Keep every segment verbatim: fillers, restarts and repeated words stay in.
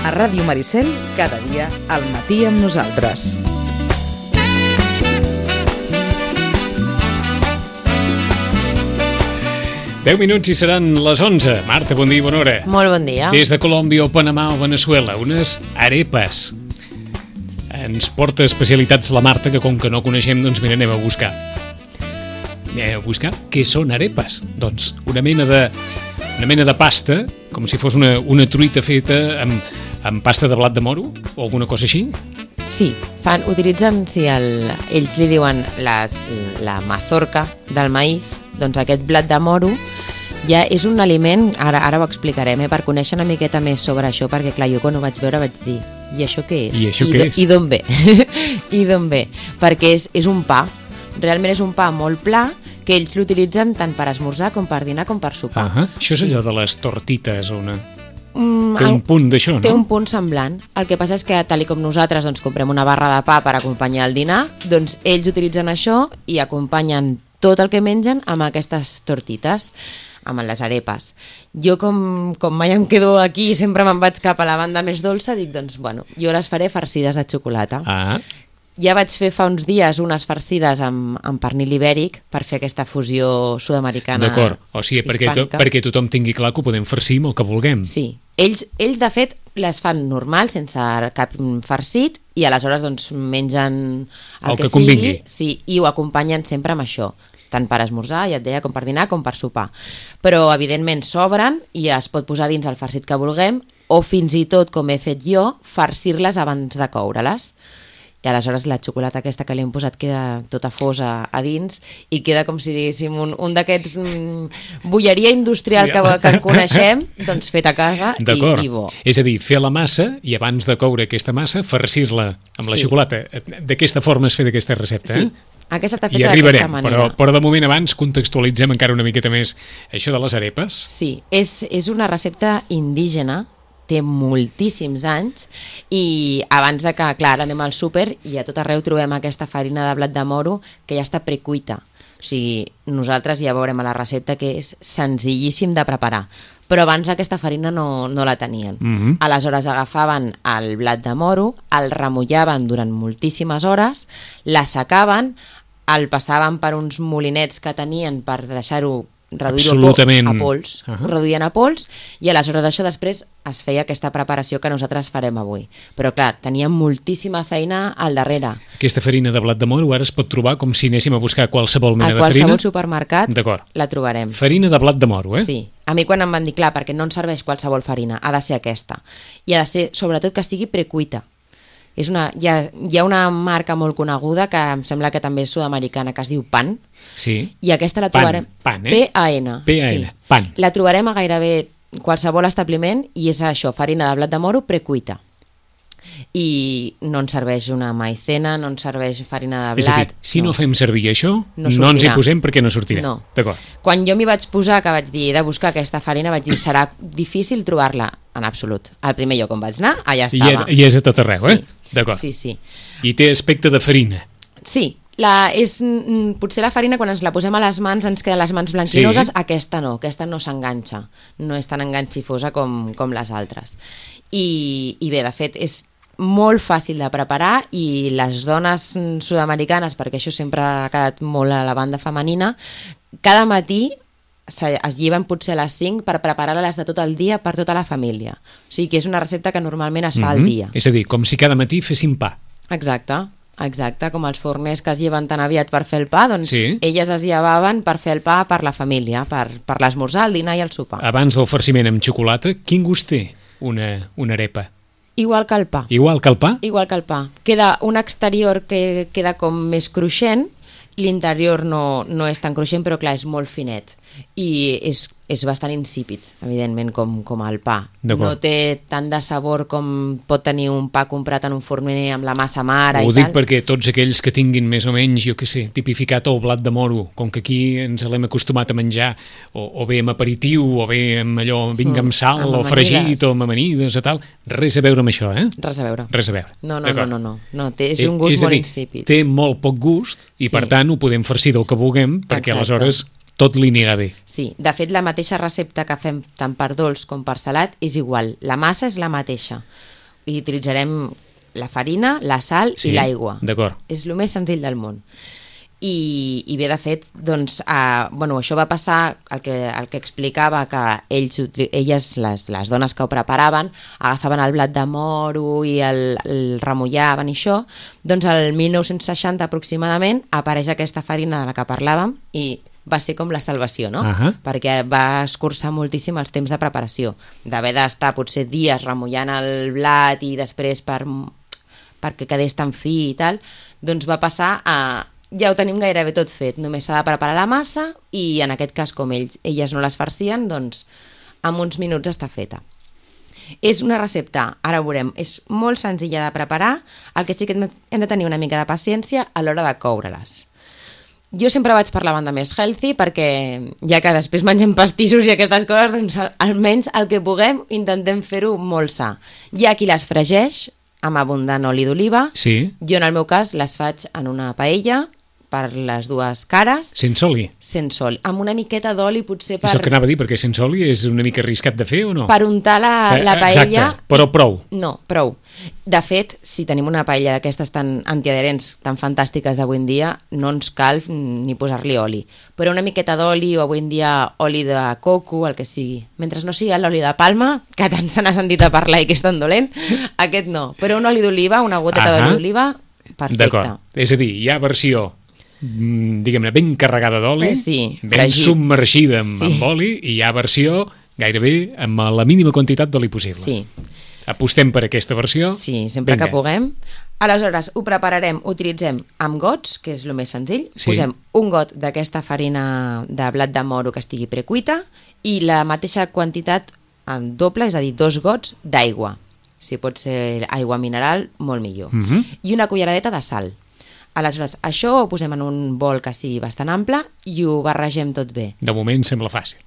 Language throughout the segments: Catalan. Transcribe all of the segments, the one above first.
A Ràdio Maricel, cada dia al matí amb nosaltres. deu minuts i seran les onze. Marta, bon dia i bona hora. Molt bon dia. Des de Colòmbia o Panamà o Veneçuela, unes arepas. Ens porta especialitats la Marta, que com que no coneixem, doncs mira, anem a buscar. Anem a buscar què són arepas. Doncs una mena de, una mena de pasta, com si fos una, una truita feta amb, amb pasta de blat de moro o alguna cosa així. Sí, fan, utilitzen, sí, el, ells li diuen les, la mazorca del maïs, doncs aquest blat de moro ja és un aliment, ara, ara ho explicarem, eh, per conèixer una miqueta més sobre això, perquè clar, jo quan ho vaig veure vaig dir, i això què és? I això I què do, és? I d'on ve? I d'on ve? Perquè és, és un pa, realment és un pa molt pla, que ells l'utilitzen tant per esmorzar com per dinar com per sopar. Uh -huh. Això és allò de les tortites o una... Mm, Té un punt d'això, no? Té un punt semblant. El que passa és que, tal com nosaltres doncs, comprem una barra de pa per acompanyar el dinar, doncs ells utilitzen això i acompanyen tot el que mengen amb aquestes tortites, amb les arepas. Jo, com, com mai em quedo aquí i sempre me'n vaig cap a la banda més dolça, dic, doncs, bueno, jo les faré farcides de xocolata. Ah. Ja vaig fer fa uns dies unes farcides amb, amb pernil ibèric per fer aquesta fusió sud-americana. D'acord, o sigui, perquè, to, perquè tothom tingui clar que ho podem farcir amb el que vulguem. Sí, ells, ells de fet les fan normal, sense cap farcit, i aleshores doncs mengen el, el que, que convingui. sigui, sí, i ho acompanyen sempre amb això, tant per esmorzar, ja et deia, com per dinar, com per sopar. Però, evidentment, s'obren i es pot posar dins el farcit que vulguem, o fins i tot, com he fet jo, farcir-les abans de coure-les. I aleshores la xocolata aquesta que li hem posat queda tota fosa a dins i queda com si diguéssim un, un d'aquests mm, bolleria industrial que, que en coneixem, doncs fet a casa i, i bo. És a dir, fer la massa i abans de coure aquesta massa, farcir-la amb la Sí. xocolata. D'aquesta forma es fa d'aquesta recepta, eh? Sí, aquesta està I feta d'aquesta arribarem, manera. però, però de moment abans contextualitzem encara una miqueta més això de les arepas. Sí, és, és una recepta indígena, té moltíssims anys, i abans de que, clar, ara anem al súper i a tot arreu trobem aquesta farina de blat de moro que ja està precuita. O sigui, nosaltres ja veurem a la recepta que és senzillíssim de preparar, però abans aquesta farina no, no la tenien. Mhm. Aleshores agafaven el blat de moro, el remullaven durant moltíssimes hores, l'assecaven, el passaven per uns molinets que tenien per deixar-ho reduir-ho Absolutament. a pols, Uh -huh. ho reduïen a pols, i aleshores això després es feia aquesta preparació que nosaltres farem avui. Però clar, tenia moltíssima feina al darrere. Aquesta farina de blat de moro ara es pot trobar com si anéssim a buscar qualsevol mena A de farina. qualsevol supermercat D'acord. la trobarem. Farina de blat de moro, eh? Sí. A mi quan em van dir, clar, perquè no ens serveix qualsevol farina, ha de ser aquesta. I ha de ser, sobretot, que sigui precuita. És una, hi, ha, hi ha una marca molt coneguda que em sembla que també és sud-americana, que es diu Pan, Sí. i aquesta la Pan, trobarem... pan, eh? P A N. P A N, sí. pan. La trobarem a gairebé qualsevol establiment i és això, farina de blat de moro precuita. I no ens serveix una maicena, no ens serveix farina de És a blat... dir, si no, no fem servir això, No no, ens hi sortirà. posem perquè no sortirà. No. D'acord. Quan jo m'hi vaig posar, que vaig dir he de buscar aquesta farina, vaig dir serà difícil trobar-la, en absolut. Al primer lloc on vaig anar, allà I estava. és, I és a tot arreu, eh? Sí. D'acord. Sí, sí. I té aspecte de farina. Sí, la, és, mm, potser la farina quan ens la posem a les mans ens queden les mans blanquinoses, Sí. aquesta no, aquesta no s'enganxa, no és tan enganxifosa com, com les altres. I, I bé, de fet, és molt fàcil de preparar i les dones mm, sud-americanes, perquè això sempre ha quedat molt a la banda femenina, cada matí se- es lleven potser a les cinc per preparar-les de tot el dia per tota la família. O sigui que és una recepta que normalment es fa al Mhm. dia. És a dir, com si cada matí féssim pa. Exacte, exacte, com els forners que es lleven tan aviat per fer el pa, doncs Sí. elles es llevaven per fer el pa per la família, per, per l'esmorzar, el dinar i el sopar. Abans del farciment amb xocolata, quin gust té una, una arepa? Igual que el pa, Igual que el pa? igual que el pa. Queda un exterior que queda com més cruixent, l'interior no, no és tan cruixent, però clar, és molt finet. I és, és bastant insípid, evidentment, com, com el pa. D'acord. No té tant de sabor com pot tenir un pa comprat en un forner amb la massa mare Ho i dic tal. perquè tots aquells que tinguin més o menys, jo què sé, tipificat el blat de moro, com que aquí ens l'hem acostumat a menjar, o, o bé amb aperitiu, o bé amb allò, vinga amb sal, amb o fregit, amanides. o amb amanides, o tal, res a veure amb això, eh? Res a veure. Res a veure. No, no, no, D'acord. no, no, no. Té, és Eh, un gust és a molt dir, insípid. té molt poc gust i Sí. per tant ho podem farcir del que vulguem perquè Exacte. aleshores tot li anirà bé. Sí, de fet la mateixa recepta que fem tant per dolç com per salat és igual, la massa és la mateixa. i utilitzarem la farina, la sal Sí, i l'aigua. d'acord. És el més senzill del món. I, i bé, de fet, doncs, uh, bueno, això va passar, el que, el que explicava que ells, elles, les, les dones que ho preparaven, agafaven el blat de moro i el, el remullaven i això, doncs el mil nou-cents seixanta aproximadament apareix aquesta farina de la que parlàvem i va ser com la salvació, no? Uh-huh. Perquè va escurçar moltíssim els temps de preparació, d'haver d'estar potser dies remullant el blat i després per, perquè quedés tan fi i tal, doncs va passar a... ja ho tenim gairebé tot fet, només s'ha de preparar la massa i en aquest cas com ells, elles no les farcien, doncs en uns minuts està feta. És una recepta, ara ho veurem, és molt senzilla de preparar, el que sí que hem de tenir una mica de paciència a l'hora de coure-les. Jo sempre vaig per la banda més healthy perquè ja que després mengem pastissos i aquestes coses, doncs almenys el que puguem intentem fer-ho molt sa. Hi ha qui les fregeix amb abundant oli d'oliva. Sí. Jo en el meu cas les faig en una paella per les dues cares. Sense oli? Sense oli. Amb una miqueta d'oli potser per... És el que anava a dir, perquè sense oli és una mica arriscat de fer o no? Per untar la, la paella... Exacte, però prou. No, prou. De fet, si tenim una paella d'aquestes tan antiadherents, tan fantàstiques d'avui en dia, no ens cal ni posar-li oli. Però una miqueta d'oli o avui en dia oli de coco, el que sigui. Mentre no sigui l'oli de palma, que tant se n'ha sentit a parlar i que és tan dolent, aquest no. Però un oli d'oliva, una goteta Ahà. d'oli d'oliva, perfecte. D'acord. És a dir, hi ha versió diguem-ne, ben carregada d'oli, eh, sí, ben fregit. submergida amb, Sí. amb oli, i hi ha versió gairebé amb la mínima quantitat d'oli possible. Sí. Apostem per aquesta versió? Sí, sempre Vinga. que puguem. Aleshores, ho prepararem, utilitzem amb gots, que és el més senzill. Sí. Posem un got d'aquesta farina de blat de moro que estigui precuita i la mateixa quantitat en doble, és a dir, dos gots d'aigua. Si pot ser aigua mineral, molt millor. Mhm. I una culleradeta de sal. Aleshores, això ho posem en un bol que sigui bastant ample i ho barregem tot bé. De moment sembla fàcil.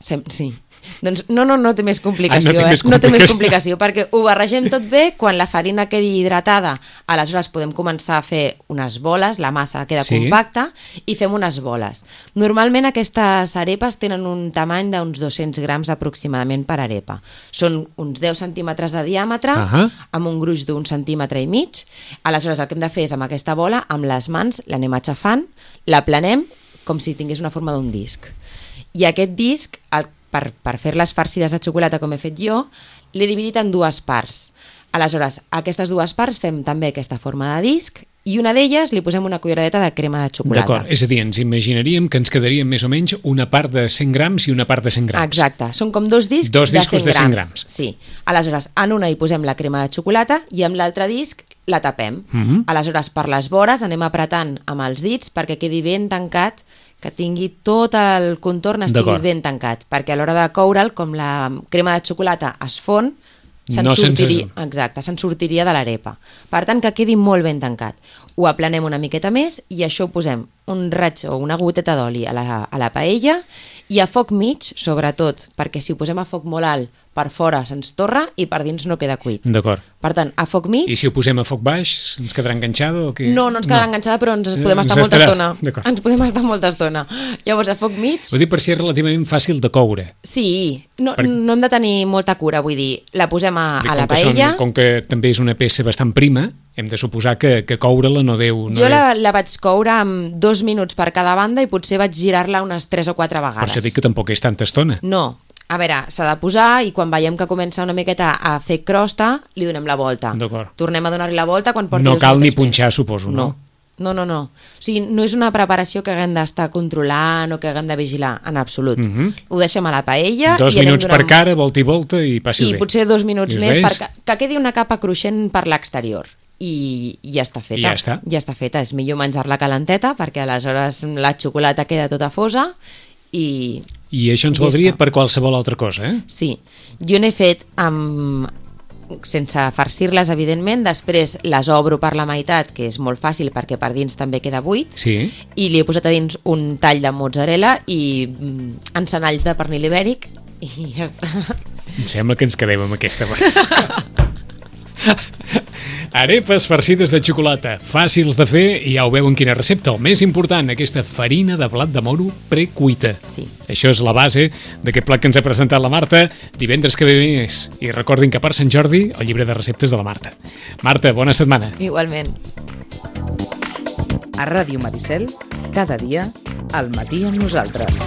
Sem sí. Doncs no, no, no té més complicació, Ah, no té eh? més No té més complicació. complicació, perquè ho barregem tot bé, quan la farina quedi hidratada, aleshores podem començar a fer unes boles, la massa queda Sí. compacta, i fem unes boles. Normalment aquestes arepes tenen un tamany d'uns dos-cents grams aproximadament per arepa. Són uns deu centímetres de diàmetre, Ahà. amb un gruix d'un centímetre i mig. Aleshores el que hem de fer és amb aquesta bola, amb les mans, l'anem aixafant, la planem com si tingués una forma d'un disc. I aquest disc, el, per, per fer-les farcides de xocolata com he fet jo, l'he dividit en dues parts. Aleshores, a aquestes dues parts fem també aquesta forma de disc i una d'elles li posem una culleradeta de crema de xocolata. D'acord, és a dir, ens imaginaríem que ens quedaria més o menys una part de cent grams i una part de cent grams. Exacte, són com dos discs Dos de discos cent de cent grams. grams. Sí, aleshores en una hi posem la crema de xocolata i amb l'altre disc la tapem. Mhm. Aleshores per les vores anem apretant amb els dits perquè quedi ben tancat, que tingui tot el contorn estigui D'acord. ben tancat, perquè a l'hora de coure'l, com la crema de xocolata es fon, se'n No se'n sortiria, surt. exacte, se'n sortiria de l'arepa. Per tant, que quedi molt ben tancat. Ho aplanem una miqueta més i això ho posem un raig o una goteta d'oli a, la, a la paella i a foc mig, sobretot, perquè si ho posem a foc molt alt, per fora se'ns torra i per dins no queda cuit. D'acord. Per tant, a foc mig... I si ho posem a foc baix, ens quedarà enganxada o què? No, no ens quedarà enganxada, però ens podem Ens estar molta estarà, estona. d'acord. Ens podem estar molta estona. Llavors, a foc mig... Ho dic per si és relativament fàcil de coure. Sí, no, Per- no hem de tenir molta cura, vull dir, la posem a, Dic, a la com que són- paella... Com que també és una peça bastant prima, hem de suposar que, que coure-la no deu... No Jo deu... la, la vaig coure amb dos minuts per cada banda i potser vaig girar-la unes tres o quatre vegades. Per això dic que tampoc és tanta estona. No, a veure, s'ha de posar i quan veiem que comença una miqueta a fer crosta, li donem la volta. D'acord. Tornem a donar-li la volta quan porti No dos cal ni minuts més. punxar, suposo, no? No, no, no. no. O sigui, no és una preparació que haguem d'estar controlant o que haguem de vigilar, en absolut. Mhm. Ho deixem a la paella... Dos i anem minuts per donant- cara, volta i volta, i passi I bé. potser dos minuts I més res. perquè que quedi una capa cruixent per l'exterior. I, i ja està feta. I ja està. Ja està feta. És millor menjar-la calenteta perquè aleshores la xocolata queda tota fosa i... I això ens Ja valdria està. per qualsevol altra cosa, eh? Sí. Jo n'he fet amb sense farcir-les, evidentment. Després les obro per la meitat, que és molt fàcil perquè per dins també queda buit. Sí. I li he posat a dins un tall de mozzarella i mm, encenalls de pernil ibèric i ja està. Em sembla que ens quedem amb aquesta versió. Arepes farcides de xocolata, fàcils de fer i ja ho veuen quina recepta. El més important, aquesta farina de blat de moro precuita. Sí. Això és la base d'aquest plat que ens ha presentat la Marta. Divendres que ve més. I recordin que per Sant Jordi, el llibre de receptes de la Marta. Marta, bona setmana. Igualment. A Ràdio Maricel, cada dia, al matí amb nosaltres.